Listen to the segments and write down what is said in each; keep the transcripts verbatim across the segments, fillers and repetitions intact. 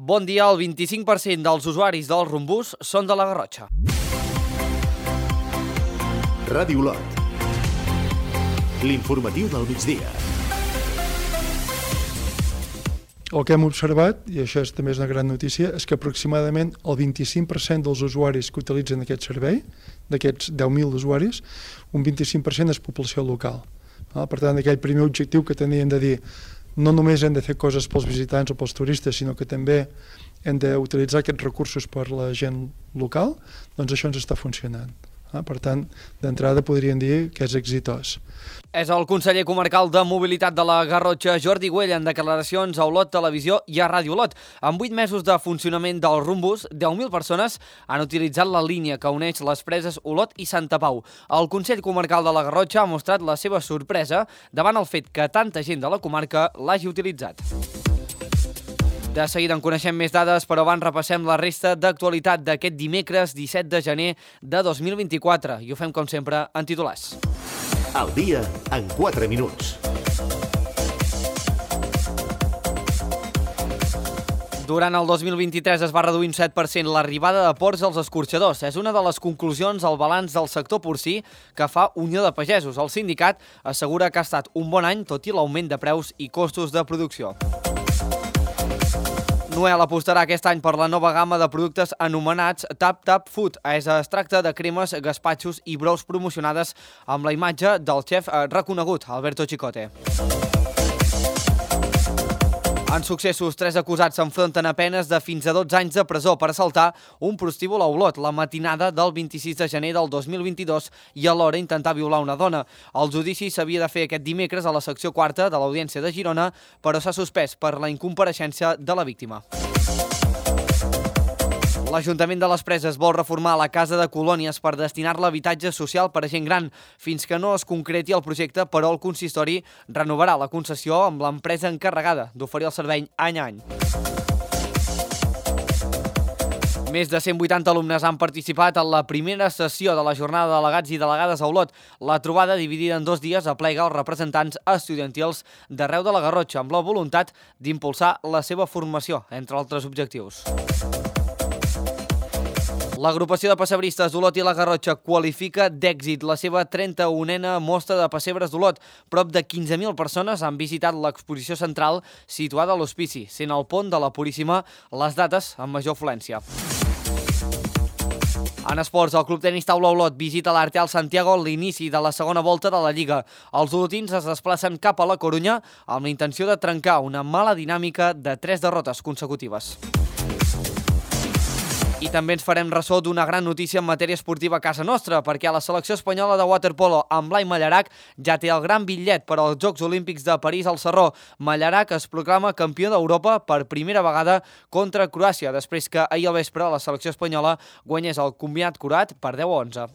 Bon dia, el vint-i-cinc per cent dels usuaris del Rumbús són de la Garrotxa. Ràdio Olot. L'informatiu del migdia. El que hem observat, i això és, també és una gran notícia, és que aproximadament el vint-i-cinc per cent dels usuaris que utilitzen aquest servei, d'aquests deu mil usuaris, un vint-i-cinc per cent és població local. Per tant, aquell primer objectiu que tenien de dir no només hem de fer coses pels visitants o pels turistes, sinó que també hem d'utilitzar aquests recursos per la gent local, doncs això ens està funcionant. Per tant, d'entrada podríem dir que és exitós. És el conseller comarcal de Mobilitat de la Garrotxa, Jordi Güell, en declaracions a Olot Televisió i a Ràdio Olot. En vuit mesos de funcionament del Rumbús, deu mil persones han utilitzat la línia que uneix les preses Olot i Santa Pau. El Consell Comarcal de la Garrotxa ha mostrat la seva sorpresa davant el fet que tanta gent de la comarca l'hagi utilitzat. De seguida en coneixem més dades, però abans repassem la resta d'actualitat d'aquest dimecres disset de gener de dos mil vint-i-quatre. I ho fem, com sempre, en titulars. Al dia, en quatre minuts. Durant el dos mil vint-i-tres es va reduir un set per cent l'arribada de porcs als escorxadors. És una de les conclusions al balanç del sector porcí que fa Unió de Pagesos. El sindicat assegura que ha estat un bon any, tot i l'augment de preus i costos de producció. Noel apostarà aquest any per la nova gamma de productes anomenats Tap Tap Food. Es tracta de cremes, gaspatxos i brous promocionades amb la imatge del xef reconegut, Alberto Chicote. En successos, tres acusats s'enfronten a penes de fins a dotze anys de presó per assaltar un prostíbul a Olot la matinada del vint-i-sis de gener del dos mil vint-i-dos i alhora intentar violar una dona. El judici s'havia de fer aquest dimecres a la secció quarta de l'Audiència de Girona, però s'ha suspès per la incompareixença de la víctima. L'Ajuntament de les Preses vol reformar la Casa de Colònies per destinar-la a habitatge social per a gent gran. Fins que no es concreti el projecte, però el consistori renovarà la concessió amb l'empresa encarregada d'oferir el servei any a any. Més de cent vuitanta alumnes han participat en la primera sessió de la jornada de delegats i delegades a Olot. La trobada, dividida en dos dies, aplega els representants estudiantils d'arreu de la Garrotxa amb la voluntat d'impulsar la seva formació, entre altres objectius. L'agrupació de pessebristes d'Olot i la Garrotxa qualifica d'èxit la seva trenta-unena mostra de pessebres d'Olot. Prop de quinze mil persones han visitat l'exposició central situada a l'Hospici, sent el pont de la Puríssima les dates amb major afluència. En esports, el Club Tenis Taula Olot visita l'Arteal Santiago a l'inici de la segona volta de la Lliga. Els olotins es desplacen cap a la Corunya amb la intenció de trencar una mala dinàmica de tres derrotes consecutives. I també ens farem ressò d'una gran notícia en matèria esportiva a casa nostra, perquè la selecció espanyola de waterpolo amb Blai Mallarac ja té el gran bitllet per als Jocs Olímpics de París al Sarró. Mallarac es proclama campió d'Europa per primera vegada contra Croàcia, després que ahir al vespre la selecció espanyola guanyés el combinat curat per deu a onze.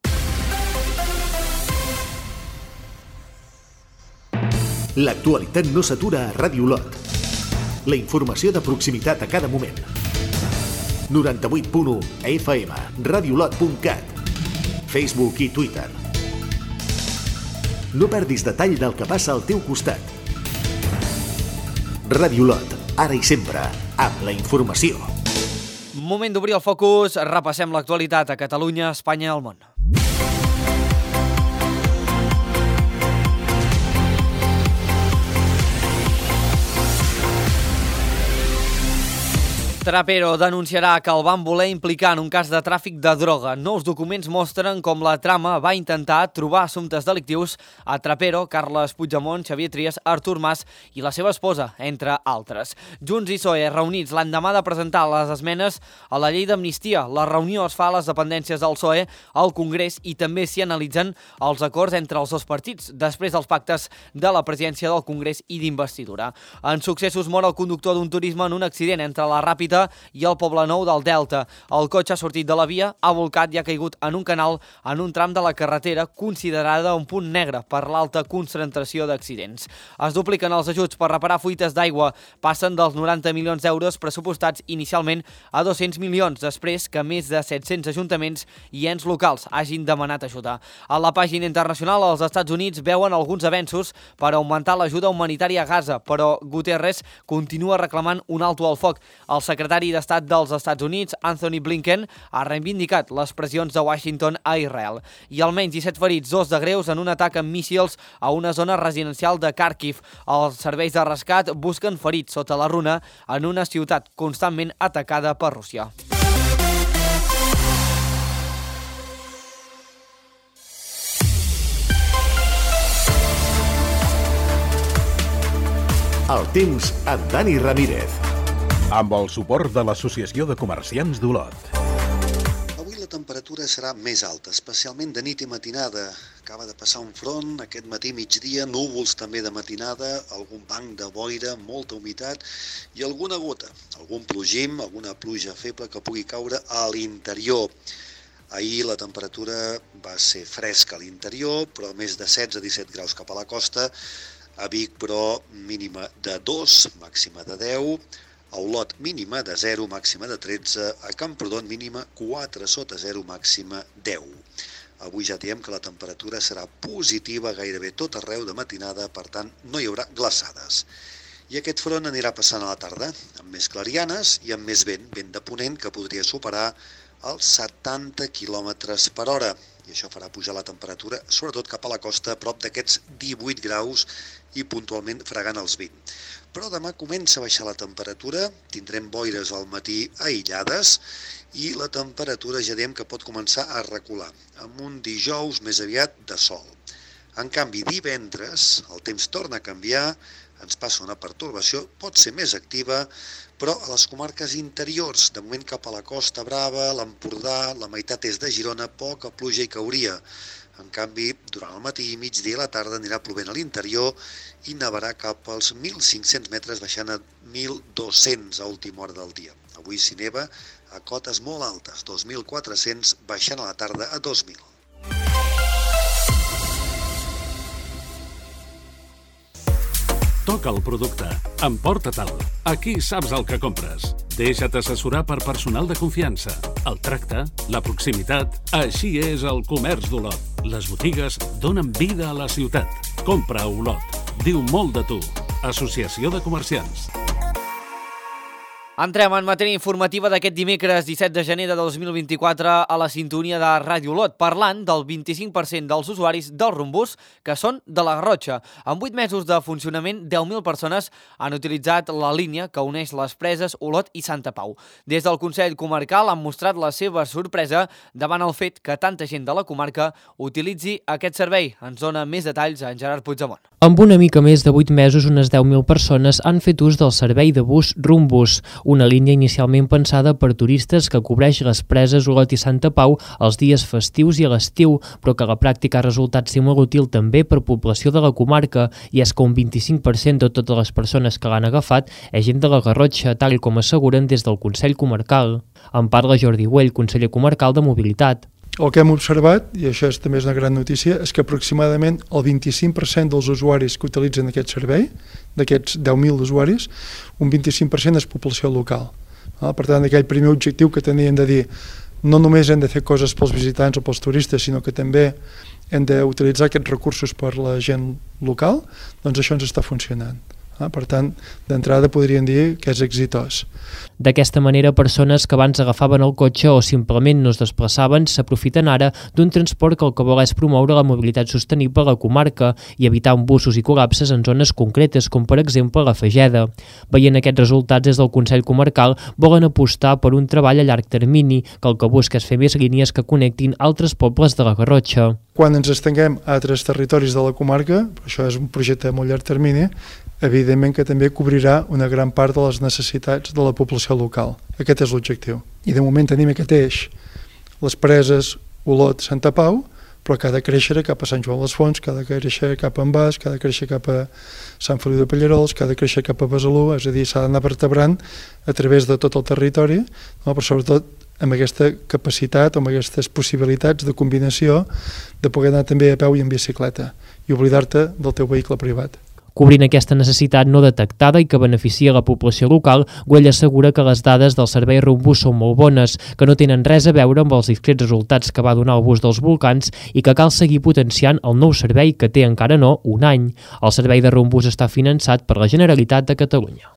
L'actualitat no s'atura a Ràdio Olot. La informació de proximitat a cada moment. noranta-vuit punt u F M, radiolot punt cat, Facebook i Twitter. No perdis detall del que passa al teu costat. Ràdio Olot, ara i sempre, amb la informació. Moment d'obrir el focus, repassem l'actualitat a Catalunya, Espanya i el món. Trapero denunciarà que el van voler implicar en un cas de tràfic de droga. Nous documents mostren com la trama va intentar trobar assumptes delictius a Trapero, Carles Puigdemont, Xavier Trias, Artur Mas i la seva esposa, entre altres. Junts i P S O E reunits l'endemà de presentar les esmenes a la llei d'amnistia. La reunió es fa a les dependències del P S O E, al Congrés, i també s'hi analitzen els acords entre els dos partits, després dels pactes de la presidència del Congrés i d'investidura. En successos mor el conductor d'un turisme en un accident entre la Ràpita i el Poblenou del Delta. El cotxe ha sortit de la via, ha volcat i ha caigut en un canal en un tram de la carretera considerada un punt negre per l'alta concentració d'accidents. Es dupliquen els ajuts per reparar fuites d'aigua, passen dels noranta milions d'euros pressupostats inicialment a dos-cents milions, després que més de set-cents ajuntaments i ens locals hagin demanat ajuda. A la pàgina internacional, els Estats Units veuen alguns avenços per augmentar l'ajuda humanitària a Gaza, però Guterres continua reclamant un alto al foc. El secretari secretari d'Estat dels Estats Units, Anthony Blinken, ha reivindicat les pressions de Washington a Israel. I almenys disset ferits, dos de greus, en un atac amb míssils a una zona residencial de Kharkiv. Els serveis de rescat busquen ferits sota la runa en una ciutat constantment atacada per Rússia. El temps amb Dani Ramírez. Amb el suport de l'Associació de Comerciants d'Olot. Avui la temperatura serà més alta, especialment de nit i matinada. Acaba de passar un front, aquest matí migdia, núvols també de matinada, algun banc de boira, molta humitat i alguna gota, algun plogim, alguna pluja feble que pugui caure a l'interior. Ahir la temperatura va ser fresca a l'interior, però més de setze a disset graus cap a la costa. A Vic, però, mínima de dos, màxima de deu. A Olot, mínima de zero, màxima de tretze. A Camprodon, mínima quatre sota zero, màxima deu. Avui ja diem que la temperatura serà positiva gairebé tot arreu de matinada, per tant, no hi haurà glaçades. I aquest front anirà passant a la tarda, amb més clarianes i amb més vent, vent de ponent que podria superar els setanta quilòmetres per hora. I això farà pujar la temperatura, sobretot cap a la costa, a prop d'aquests divuit graus i puntualment fregant els vint. Però demà comença a baixar la temperatura, tindrem boires al matí aïllades i la temperatura ja diem que pot començar a recular, amb un dijous més aviat de sol. En canvi, divendres el temps torna a canviar, ens passa una pertorbació, pot ser més activa, però a les comarques interiors, de moment cap a la Costa Brava, l'Empordà, la meitat est de Girona, poca pluja hi cauria. En canvi, durant el matí i migdia i la tarda anirà plovent a l'interior i nevarà cap als mil cinc-cents metres, baixant a mil dos-cents a última hora del dia. Avui s'hi neva a cotes molt altes, dos mil quatre-cents, baixant a la tarda a dos mil. Toca el producte. Emporta-te'l. Aquí saps el que compres. Deixa't assessorar per personal de confiança. El tracte, la proximitat... Així és el comerç d'Olot. Les botigues donen vida a la ciutat. Compra a Olot. Diu molt de tu. Associació de Comerciants. Entrem en matèria informativa d'aquest dimecres disset de gener de dos mil vint-i-quatre a la sintonia de Ràdio Olot, parlant del vint-i-cinc per cent dels usuaris del Rumbús que són de la Garrotxa. En vuit mesos de funcionament, deu mil persones han utilitzat la línia que uneix les preses Olot i Santa Pau. Des del Consell Comarcal han mostrat la seva sorpresa davant el fet que tanta gent de la comarca utilitzi aquest servei. Ens dona més detalls en Gerard Puigdemont. Amb una mica més de vuit mesos, unes deu mil persones han fet ús del servei de bus Rumbús, una línia inicialment pensada per turistes que cobreix les preses Olot i Santa Pau els dies festius i a l'estiu, però que a la pràctica ha resultat ser molt útil també per població de la comarca, i és que un vint-i-cinc per cent de totes les persones que l'han agafat és gent de la Garrotxa, tal com asseguren des del Consell Comarcal. En parla Jordi Güell, conseller comarcal de Mobilitat. El que hem observat, i això és, també és una gran notícia, és que aproximadament el vint-i-cinc per cent dels usuaris que utilitzen aquest servei, d'aquests deu mil usuaris, un vint-i-cinc per cent és població local. Per tant, aquell primer objectiu que teníem de dir, no només hem de fer coses pels visitants o pels turistes, sinó que també hem d'utilitzar aquests recursos per la gent local, doncs això ens està funcionant. Per tant, d'entrada podríem dir que és exitós. D'aquesta manera, persones que abans agafaven el cotxe o simplement no es desplaçaven s'aprofiten ara d'un transport que el que vol és promoure la mobilitat sostenible a la comarca i evitar embussos i col·lapses en zones concretes, com per exemple la Fageda. Veient aquests resultats, des del Consell Comarcal volen apostar per un treball a llarg termini, que el que busca és fer més línies que connectin altres pobles de la Garrotxa. Quan ens estenguem a altres territoris de la comarca, això és un projecte a molt llarg termini, evidentment que també cobrirà una gran part de les necessitats de la població local. Aquest és l'objectiu. I de moment tenim aquest eix, les preses Olot, Santa Pau, però que ha de créixer cap a Sant Joan les Fonts, que ha de créixer cap a Envàs, que ha de créixer cap a Sant Feliu de Pallerols, que ha de créixer cap a Besalú, és a dir, s'ha d'anar vertebrant a través de tot el territori, no? Però sobretot amb aquesta capacitat, amb aquestes possibilitats de combinació de poder anar també a peu i en bicicleta i oblidar-te del teu vehicle privat. Cobrint aquesta necessitat no detectada i que beneficia la població local, Güell assegura que les dades del servei Rumbús són molt bones, que no tenen res a veure amb els discrets resultats que va donar el bus dels volcans i que cal seguir potenciant el nou servei que té encara no un any. El servei de Rumbús està finançat per la Generalitat de Catalunya.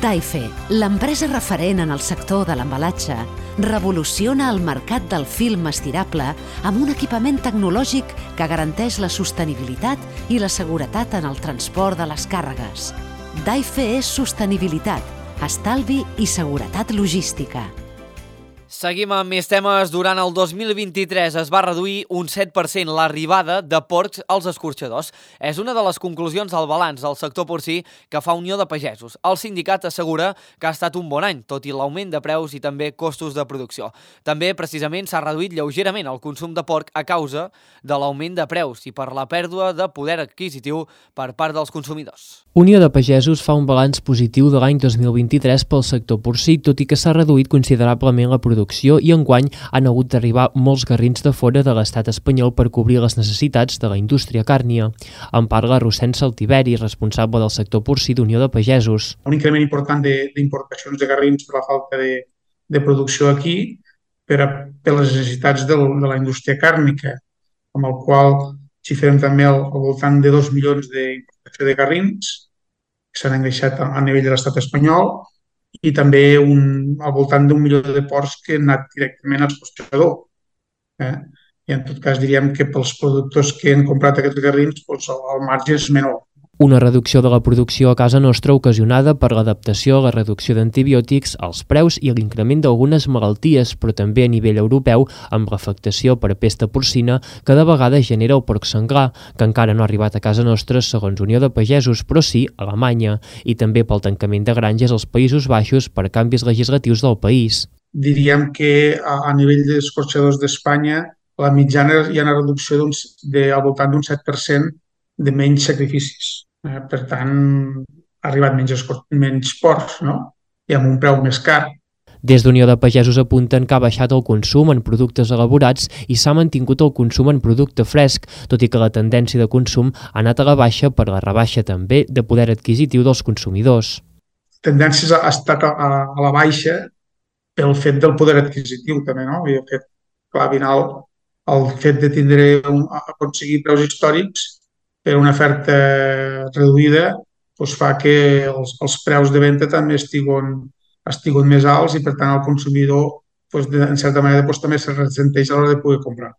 Daife, l'empresa referent en el sector de l'embalatge, revoluciona el mercat del film estirable amb un equipament tecnològic que garanteix la sostenibilitat i la seguretat en el transport de les càrregues. Daife és sostenibilitat, estalvi i seguretat logística. Seguim amb més temes. Durant el dos mil vint-i-tres es va reduir un set per cent l'arribada de porcs als escorxadors. És una de les conclusions del balanç del sector porcí que fa Unió de Pagesos. El sindicat assegura que ha estat un bon any, tot i l'augment de preus i també costos de producció. També, precisament, s'ha reduït lleugerament el consum de porc a causa de l'augment de preus i per la pèrdua de poder adquisitiu per part dels consumidors. Unió de Pagesos fa un balanç positiu de l'any dos mil vint-i-tres pel sector porcí, tot i que s'ha reduït considerablement la producció i enguany han hagut d'arribar molts garrins de fora de l'estat espanyol per cobrir les necessitats de la indústria càrnia. En parla Rossend Saltiveri, responsable del sector porcí d'Unió de Pagesos. Un increment important d'importacions de, de garrins per la falta de, de producció aquí, per, a, per les necessitats de, de la indústria càrnica, amb el qual xifrem també al, al voltant de dos milions d'importació de garrins que s'han engreixat a, a nivell de l'estat espanyol, i també un, al voltant d'un milió de porcs que han anat directament al escorxador. Eh? I en tot cas diríem que pels productors que han comprat aquests garrins doncs el, el marge és menor. Una reducció de la producció a casa nostra ocasionada per l'adaptació a la reducció d'antibiòtics, als preus i l'increment d'algunes malalties, però també a nivell europeu amb l'afectació per pesta porcina que de vegades genera el porc senglar, que encara no ha arribat a casa nostra segons Unió de Pagesos, però sí a Alemanya, i també pel tancament de granges als Països Baixos per canvis legislatius del país. Diríem que a, a nivell d'escorxadors d'Espanya la mitjana hi ha una reducció de, al voltant d'un set per cent de menys sacrificis. Eh, per tant, ha arribat menys, menys porcs, no? I amb un preu més car. Des d'Unió de Pagesos apunten que ha baixat el consum en productes elaborats i s'ha mantingut el consum en producte fresc, tot i que la tendència de consum ha anat a la baixa per la rebaixa també de poder adquisitiu dels consumidors. La tendència ha estat a, a la baixa pel fet del poder adquisitiu també, no? I el fet, clar, al final, el fet de tindre un, aconseguir preus històrics per una oferta reduïda doncs fa que els, els preus de venda també estiguin, estiguin més alts i per tant el consumidor doncs, de, en certa manera doncs, també se ressenteix a l'hora de poder comprar.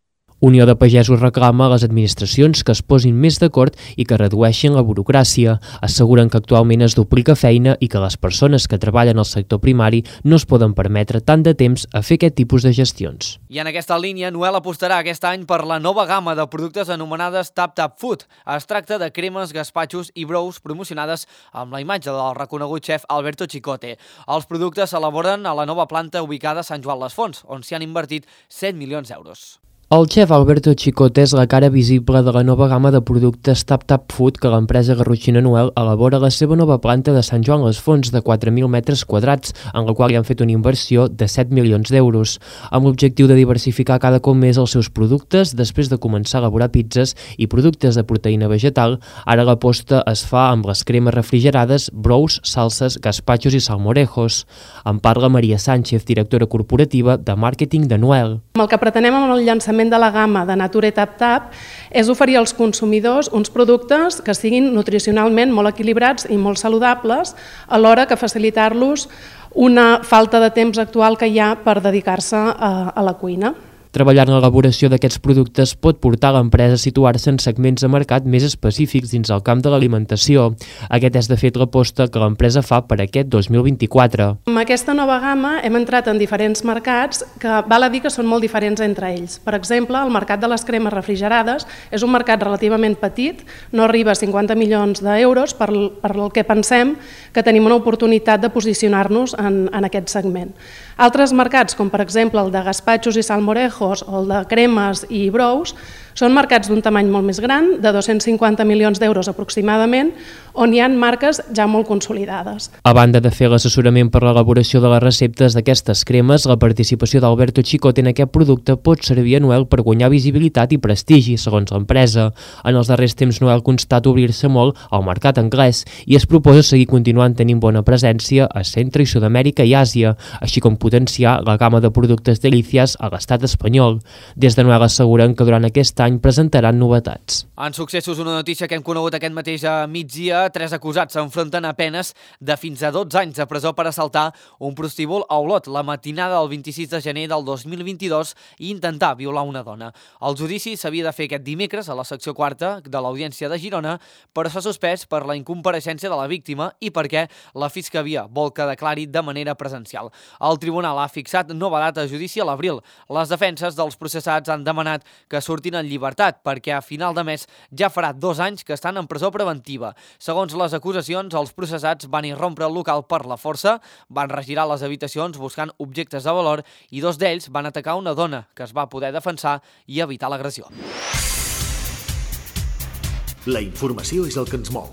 Unió de Pagesos reclama a les administracions que es posin més d'acord i que redueixin la burocràcia. Asseguren que actualment es duplica feina i que les persones que treballen al sector primari no es poden permetre tant de temps a fer aquest tipus de gestions. I en aquesta línia, Noel apostarà aquest any per la nova gamma de productes anomenades Tap Tap Food. Es tracta de cremes, gaspatxos i brous promocionades amb la imatge del reconegut xef Alberto Chicote. Els productes s'elaboren a la nova planta ubicada a Sant Joan les Fonts, on s'hi han invertit set milions d'euros. El xef Alberto Chicote és la cara visible de la nova gamma de productes Tap Tap Food que l'empresa garrotxina Noel elabora a la seva nova planta de Sant Joan les Fonts de quatre mil metres quadrats, en la qual hi han fet una inversió de set milions d'euros, amb l'objectiu de diversificar cada cop més els seus productes. Després de començar a elaborar pizzas i productes de proteïna vegetal, ara l'aposta es fa amb les cremes refrigerades, brous, salses, gaspatxos i salmorejos. En parla Maria Sánchez, directora corporativa de màrqueting de Noel. El que pretenem amb el llançament de la gamma de Nature Tap Tap és oferir als consumidors uns productes que siguin nutricionalment molt equilibrats i molt saludables, alhora que facilitar-los una falta de temps actual que hi ha per dedicar-se a, a la cuina. Treballar en l'elaboració d'aquests productes pot portar a l'empresa a situar-se en segments de mercat més específics dins el camp de l'alimentació. Aquest és, de fet, l'aposta que l'empresa fa per aquest dos mil vint-i-quatre. Amb aquesta nova gamma hem entrat en diferents mercats que val a dir que són molt diferents entre ells. Per exemple, el mercat de les cremes refrigerades és un mercat relativament petit, no arriba a cinquanta milions d'euros, per, per el que pensem que tenim una oportunitat de posicionar-nos en, en aquest segment. Altres mercats, com per exemple el de gaspatxos i salmorejos, o el de cremes i brous, són mercats d'un tamany molt més gran, de dos-cents cinquanta milions d'euros aproximadament, on hi ha marques ja molt consolidades. A banda de fer l'assessorament per l'elaboració de les receptes d'aquestes cremes, la participació d'Alberto Chicote en aquest producte pot servir a Noel per guanyar visibilitat i prestigi, segons l'empresa. En els darrers temps, Noel constata obrir-se molt al mercat anglès i es proposa seguir continuant tenint bona presència a Centre i Sud-amèrica i Àsia, així com potenciar la gamma de productes Delicias a l'estat espanyol. Des de Noel asseguren que durant aquest any presentaran novetats. En successos, una notícia que hem conegut aquest mateix migdia, tres acusats s'enfronten a penes de fins a dotze anys de presó per assaltar un prostíbul a Olot la matinada del vint-i-sis de gener del dos mil vint-i-dos i intentar violar una dona. El judici s'havia de fer aquest dimecres a la secció quarta de l'Audiència de Girona, però s'ha suspès per la incompareixença de la víctima i perquè la Fiscalia vol que declari de manera presencial. El tribunal ha fixat nova data de judici a l'abril. Les defenses dels processats han demanat que surtin en llibertat perquè a final de mes ja farà dos anys que estan en presó preventiva. Segons les acusacions, els processats van irrompre el local per la força, van regirar les habitacions buscant objectes de valor i dos d'ells van atacar una dona que es va poder defensar i evitar l'agressió. La informació és el que ens mou.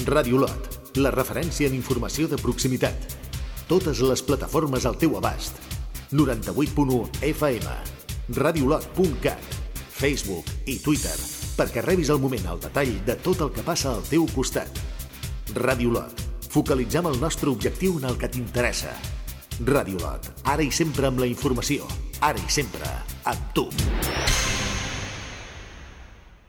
Ràdio Olot, la referència en informació de proximitat. Totes les plataformes al teu abast. noranta-vuit punt u F M, radiolot punt cat, Facebook i Twitter, perquè rebis al moment el detall de tot el que passa al teu costat. Ràdio Olot, focalitzem el nostre objectiu en el que t'interessa. Ràdio Olot, ara i sempre amb la informació, ara i sempre amb tu.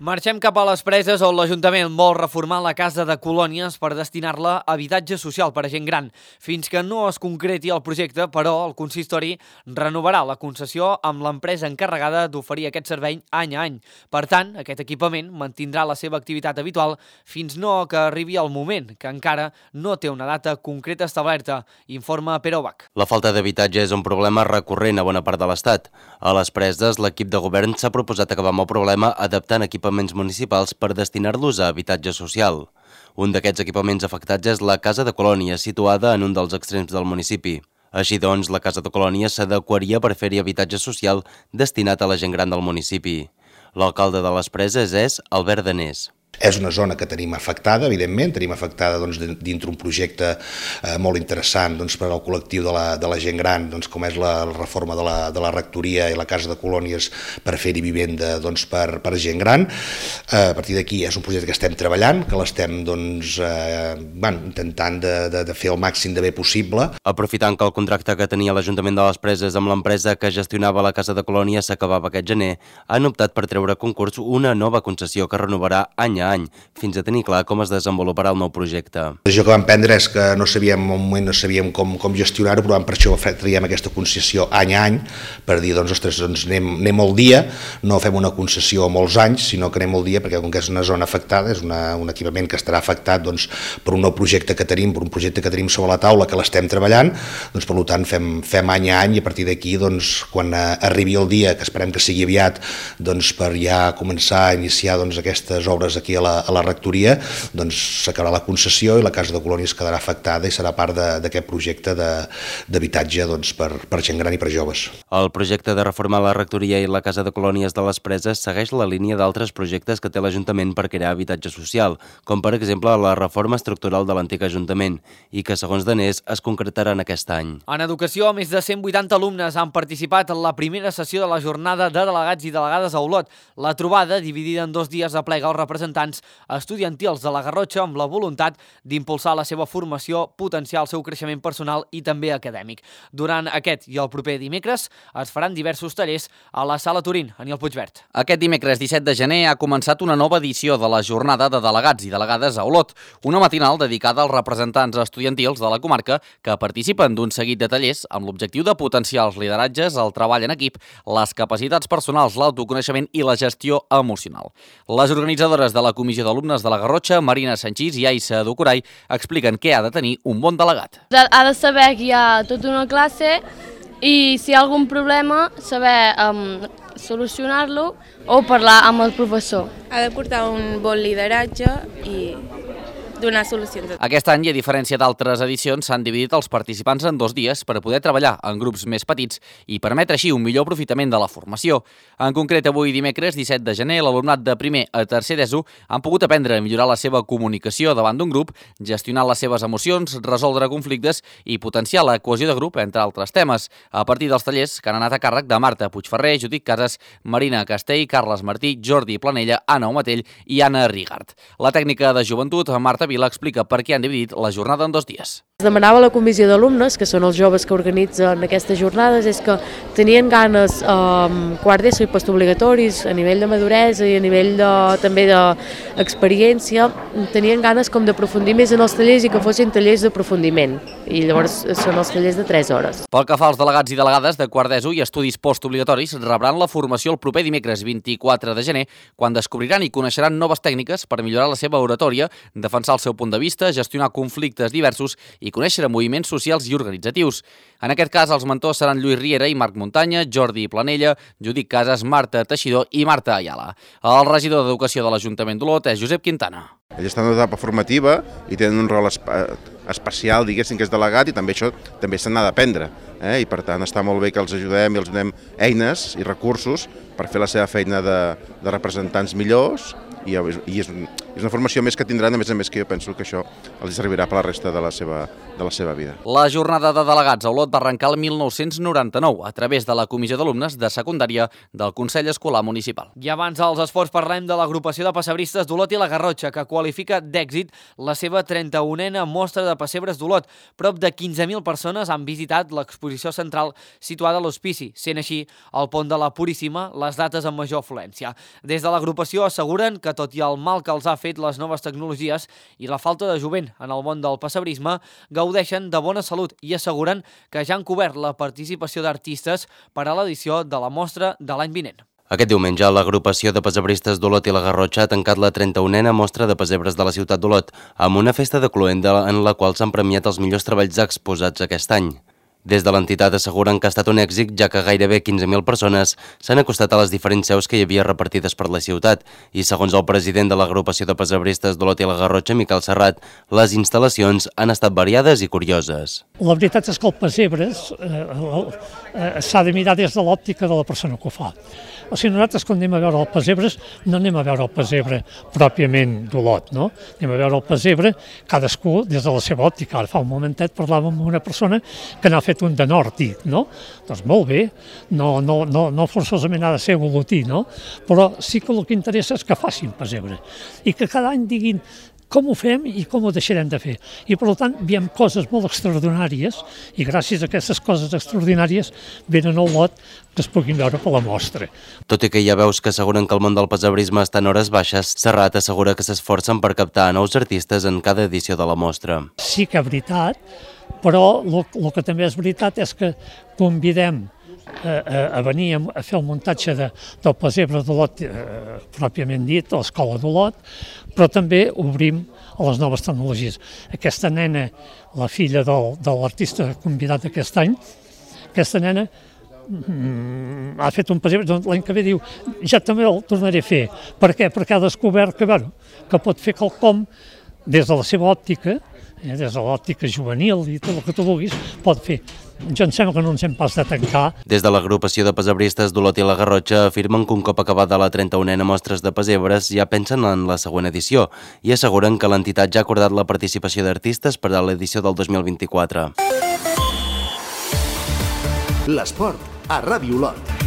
Marxem cap a les Preses, on l'Ajuntament vol reformar la casa de colònies per destinar-la a habitatge social per a gent gran. Fins que no es concreti el projecte, però, el consistori renovarà la concessió amb l'empresa encarregada d'oferir aquest servei any a any. Per tant, aquest equipament mantindrà la seva activitat habitual fins no que arribi el moment, que encara no té una data concreta establerta, informa Pere Obach. La falta d'habitatge és un problema recurrent a bona part de l'Estat. A les Preses, l'equip de govern s'ha proposat acabar amb el problema adaptant equipaments municipals per destinar-los a habitatge social. Un d'aquests equipaments afectats és la Casa de Colònia, situada en un dels extrems del municipi. Així doncs, la Casa de Colònia s'adequaria per fer-hi habitatge social destinat a la gent gran del municipi. L'alcalde de les Preses és Albert Danés. És una zona que tenim afectada, evidentment, tenim afectada doncs, dintre un projecte eh, molt interessant doncs, per al col·lectiu de la, de la gent gran, doncs, com és la, la reforma de la, de la rectoria i la casa de colònies per fer-hi vivenda doncs, per, per gent gran. Eh, a partir d'aquí és un projecte que estem treballant, que l'estem doncs, eh, bueno, intentant de, de, de fer el màxim de bé possible. Aprofitant que el contracte que tenia l'Ajuntament de les Preses amb l'empresa que gestionava la casa de colònies s'acabava aquest gener, han optat per treure a concurs una nova concessió que renovarà any a any, fins a tenir clar com es desenvoluparà el nou projecte. La decisió que vam prendre és que no sabíem, en un moment no sabíem com, com gestionar-ho, però per això traiem aquesta concessió any a any, per dir, doncs, ostres, doncs anem, anem al dia, no fem una concessió a molts anys, sinó que anem al dia, perquè com que és una zona afectada, és una, un equipament que estarà afectat doncs, per un nou projecte que tenim, per un projecte que tenim sobre la taula, que l'estem treballant, doncs, per tant, fem, fem any a any, i a partir d'aquí, doncs, quan arribi el dia, que esperem que sigui aviat, doncs, per ja començar a iniciar doncs, aquestes obres aquí a la, a la rectoria, doncs s'acabarà la concessió i la casa de colònies quedarà afectada i serà part d'aquest projecte d'habitatge doncs, per, per gent gran i per joves. El projecte de reformar la rectoria i la casa de colònies de les Preses segueix la línia d'altres projectes que té l'Ajuntament per crear habitatge social, com per exemple la reforma estructural de l'antic Ajuntament, i que segons Danés es concretarà en aquest any. En educació, més de cent vuitanta alumnes han participat en la primera sessió de la jornada de delegats i delegades a Olot. La trobada, dividida en dos dies, aplega els representants estudiantils de la Garrotxa amb la voluntat d'impulsar la seva formació, potenciar el seu creixement personal i també acadèmic. Durant aquest i el proper dimecres es faran diversos tallers a la Sala Turín, Aniol Puigvert. Aquest dimecres disset de gener ha començat una nova edició de la jornada de delegats i delegades a Olot, una matinal dedicada als representants estudiantils de la comarca que participen d'un seguit de tallers amb l'objectiu de potenciar els lideratges, el treball en equip, les capacitats personals, l'autoconeixement i la gestió emocional. Les organitzadores de la Comissió d'Alumnes de la Garrotxa, Marina Sanchís i Aissa Ducuray, expliquen què ha de tenir un bon delegat. Ha de saber que hi ha tota una classe i si hi ha algun problema, saber um, solucionar-lo o parlar amb el professor. Ha de portar un bon lideratge i donar solucions. Aquest any, a diferència d'altres edicions, s'han dividit els participants en dos dies per poder treballar en grups més petits i permetre així un millor aprofitament de la formació. En concret, avui dimecres disset de gener, l'alumnat de primer a tercer d'ESO han pogut aprendre a millorar la seva comunicació davant d'un grup, gestionar les seves emocions, resoldre conflictes i potenciar la cohesió de grup, entre altres temes, a partir dels tallers que han anat a càrrec de Marta Puigferrer, Judit Casas, Marina Castell, Carles Martí, Jordi Planella, Anna Omatell i Anna Rigart. La tècnica de joventut, Marta Vila, explica per què han dividit la jornada en dos dies. Es demanava a la comissió d'alumnes, que són els joves que organitzen aquestes jornades, és que tenien ganes eh, quart d'ESO i postobligatoris a nivell de maduresa i a nivell de, també d'experiència, tenien ganes com d'aprofundir més en els tallers i que fossin tallers d'aprofundiment, i llavors són els tallers de tres hores. Pel que fa als delegats i delegades de quart d'ESO i estudis postobligatoris, rebran la formació el proper dimecres vint-i-quatre de gener, quan descobriran i coneixeran noves tècniques per millorar la seva oratòria, defensar el seu punt de vista, gestionar conflictes diversos i conèixer moviments socials i organitzatius. En aquest cas, els mentors seran Lluís Riera i Marc Muntanya, Jordi Planella, Judit Casas, Marta Teixidor i Marta Ayala. El regidor d'Educació de l'Ajuntament d'Olot és Josep Quintana. Ells estan en etapa formativa i tenen un rol especial, diguéssim, que és delegat, i també això també se n'ha d'aprendre. Eh? I per tant està molt bé que els ajudem i els donem eines i recursos per fer la seva feina de, de representants millors, i, i és, un, és una formació més que tindran, a més a més que jo penso que això els servirà per la resta de la seva, de la seva vida. La jornada de delegats a Olot va arrencar el mil nou-cents noranta-nou a través de la Comissió d'Alumnes de Secundària del Consell Escolar Municipal. I abans dels esports parlem de l'agrupació de pessebristes d'Olot i la Garrotxa, que qualifica d'èxit la seva trenta-unena mostra de pessebres d'Olot. Prop de quinze mil persones han visitat l'exposició central situada a l'Hospici, sent així el pont de la Puríssima les dates amb major afluència. Des de l'agrupació asseguren que, tot i el mal que els ha fet les noves tecnologies i la falta de jovent en el món del pessebrisme, gaudeixen de bona salut i asseguren que ja han cobert la participació d'artistes per a l'edició de la mostra de l'any vinent. Aquest diumenge, l'agrupació de pessebristes d'Olot i la Garrotxa ha tancat la trenta-unena mostra de pessebres de la ciutat d'Olot amb una festa de cloenda en la qual s'han premiat els millors treballs exposats aquest any. Des de l'entitat asseguren que ha estat un èxit, ja que gairebé quinze mil persones s'han acostat a les diferents seus que hi havia repartides per la ciutat i, segons el president de l'agrupació de pessebristes d'Olot i la Garrotxa, Miquel Serrat, les instal·lacions han estat variades i curioses. La veritat és que el pessebres eh, eh, s'ha de mirar des de l'òptica de la persona que ho fa. O sigui, nosaltres quan anem a veure el pessebres no anem a veure el pessebre pròpiament d'Olot, no? Anem a veure el pessebre cadascú des de la seva òptica. Ara fa un momentet parlàvem amb una persona que n'ha fet un de nord, no? Doncs molt bé, no, no, no, no forçosament ha de ser olotí, no? Però sí que el que interessa és que facin pessebre i que cada any diguin com ho fem i com ho deixarem de fer. I per tant veiem coses molt extraordinàries i gràcies a aquestes coses extraordinàries venen al lot que es puguin veure per la mostra. Tot i que hi ha veus que asseguren que el món del pessebrisme està en hores baixes, Serrat assegura que s'esforcen per captar nous artistes en cada edició de la mostra. Sí que és veritat, però el que també és veritat és que convidem a venir a fer el muntatge de, del pessebre d'Olot eh, pròpiament dit, a l'escola d'Olot, però també obrim a les noves tecnologies. Aquesta nena, la filla del, de l'artista convidat aquest any, aquesta nena mm, ha fet un pessebre, doncs l'any que ve diu, ja també el tornaré a fer. Per què? Perquè ha descobert que, bueno, que pot fer quelcom des de la seva òptica, eh, des de l'òptica juvenil i tot el que tu vulguis, pot fer. Jo em sembla que no ens hem pas de tancar. Des de l'agrupació de pessebristes d'Olot i la Garrotxa afirmen que un cop acabada la trenta-unena mostres de pessebres ja pensen en la següent edició i asseguren que l'entitat ja ha acordat la participació d'artistes per a l'edició del dos mil vint-i-quatre. L'esport a Ràdio Olot.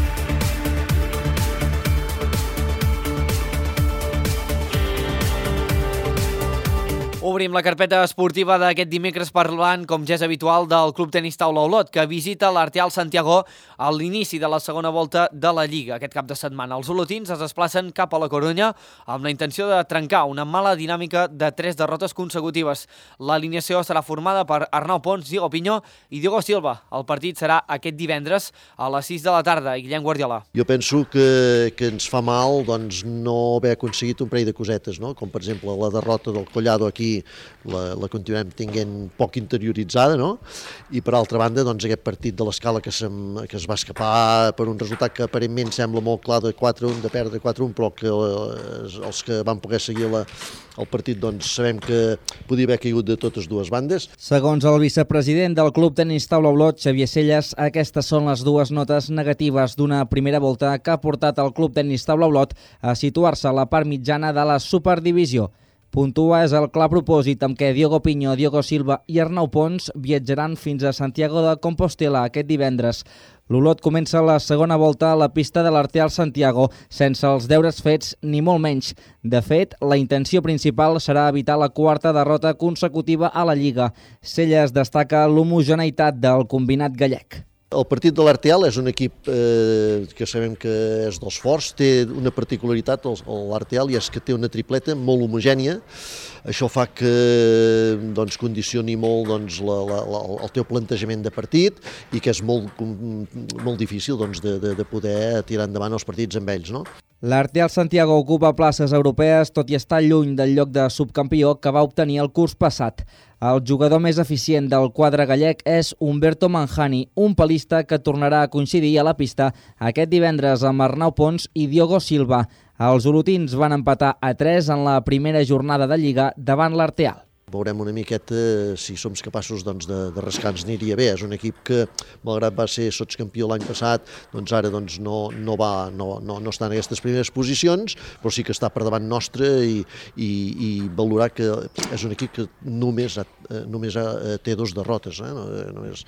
Obrim la carpeta esportiva d'aquest dimecres parlant, com ja és habitual, del Club Tenis Taula Olot, que visita l'Arteal Santiago a l'inici de la segona volta de la Lliga. Aquest cap de setmana els olotins es desplacen cap a la Corunya amb la intenció de trencar una mala dinàmica de tres derrotes consecutives. L'alineació serà formada per Arnau Pons, Diego Piño i Diego Silva. El partit serà aquest divendres a les sis de la tarda. Guillem Guardiola. Jo penso que, que ens fa mal doncs, no haver aconseguit un parell de cosetes, no? Com per exemple la derrota del Collado aquí La, la continuem tinguent poc interioritzada, no? I per altra banda, doncs, aquest partit de l'Escala que, que es va escapar per un resultat que aparentment sembla molt clar de quatre a un, de perdre quatre a un, però que eh, els que van poder seguir la, el partit doncs, sabem que podia haver caigut de totes dues bandes. Segons el vicepresident del Club Tenis Taula Olot, Xavier Celles, aquestes són les dues notes negatives d'una primera volta que ha portat el Club Tenis Taula Olot a situar-se a la part mitjana de la Superdivisió. Puntua és el clar propòsit amb què Diego Piño, Diego Silva i Arnau Pons viatjaran fins a Santiago de Compostela aquest divendres. L'Olot comença la segona volta a la pista de l'Arteal Santiago sense els deures fets ni molt menys. De fet, la intenció principal serà evitar la quarta derrota consecutiva a la Lliga. Celles destaca l'homogeneïtat del combinat gallec. El partit de l'Arteal és un equip eh, que sabem que és dels forts, té una particularitat l'Arteal i és que té una tripleta molt homogènia. Això fa que doncs, condicioni molt doncs, la, la, la, el teu plantejament de partit i que és molt, molt difícil doncs, de, de, de poder tirar endavant els partits amb ells. No? L'Arteal Santiago ocupa places europees tot i estar lluny del lloc de subcampió que va obtenir el curs passat. El jugador més eficient del quadre gallec és Humberto Manjani, un palista que tornarà a coincidir a la pista aquest divendres amb Arnau Pons i Diogo Silva. Els olotins van empatar a tres en la primera jornada de Lliga davant l'Arteal. Veurem una miqueta si som capaços doncs, de, de rascar-nos aniria bé. És un equip que, malgrat va ser sotscampió l'any passat, doncs ara doncs, no, no, va, no, no, no està en aquestes primeres posicions, però sí que està per davant nostre i, i, i valorar que és un equip que només, només té dos derrotes. Eh? No, només...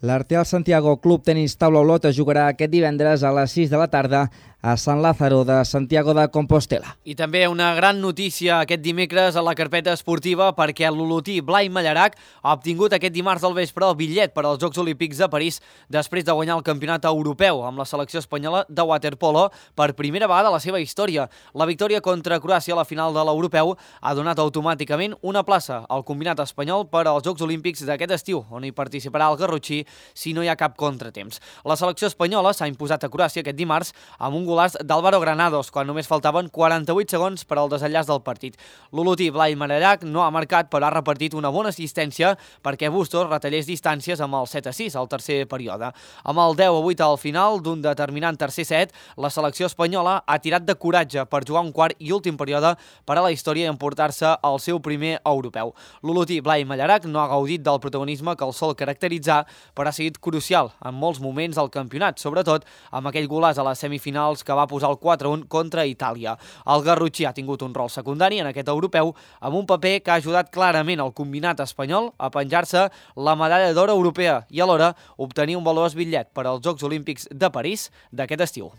L'Arteal Santiago Club Tenis Taula Olot jugarà aquest divendres a les sis de la tarda a Sant Lázaro de Santiago de Compostela. I també una gran notícia aquest dimecres a la carpeta esportiva perquè l'olotí Blai Mallarac ha obtingut aquest dimarts al vespre el bitllet per als Jocs Olímpics de París després de guanyar el campionat europeu amb la selecció espanyola de waterpolo per primera vegada a la seva història. La victòria contra Croàcia a la final de l'europeu ha donat automàticament una plaça al combinat espanyol per als Jocs Olímpics d'aquest estiu, on hi participarà el garrotxí si no hi ha cap contratemps. La selecció espanyola s'ha imposat a Croàcia aquest dimarts amb un golàs d'Álvaro Granados, quan només faltaven quaranta-vuit segons per al desenllaç del partit. L'olotí Blai Mallarac no ha marcat, però ha repartit una bona assistència perquè Bustos retallés distàncies amb el set a sis al tercer període. Amb el deu a vuit al final d'un determinant tercer set, la selecció espanyola ha tirat de coratge per jugar un quart i últim període per a la història i emportar-se el seu primer europeu. L'olotí Blai Mallarac no ha gaudit del protagonisme que el sol caracteritzar, però ha sigut crucial en molts moments del campionat, sobretot amb aquell golàs a les semifinals que va posar el quatre a un contra Itàlia. El garrotxí ha tingut un rol secundari en aquest europeu amb un paper que ha ajudat clarament el combinat espanyol a penjar-se la medalla d'or europea i alhora obtenir un valuós bitllet per als Jocs Olímpics de París d'aquest estiu.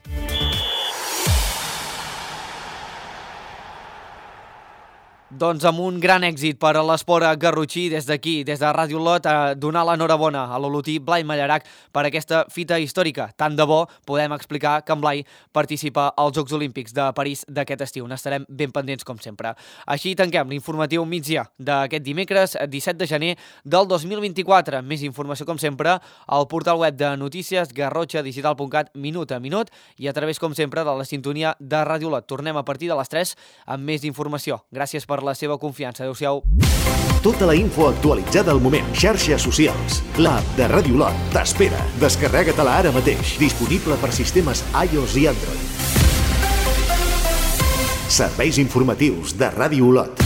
Doncs amb un gran èxit per a l'esport garrotxí, des d'aquí, des de Ràdio Olot, a donar l'enhorabona a l'olotí Blai Mallarac per aquesta fita històrica. Tant de bo podem explicar que en Blai participa als Jocs Olímpics de París d'aquest estiu. N'estarem ben pendents, com sempre. Així tanquem l'informatiu migdia d'aquest dimecres, disset de gener del dos mil vint-i-quatre. Més informació, com sempre, al portal web de notícies garrotxa digital punt cat, minut a minut, i a través, com sempre, de la sintonia de Ràdio Olot. Tornem a partir de les tres amb més informació. Gràcies per la seva confiança. Adéu-siau. Tota la info actualitzada al moment. Xarxes socials. L'app de Ràdio Olot t'espera. Descarrega-te-la ara mateix. Disponible per sistemes iOS i Android. Serveis informatius de Ràdio Olot.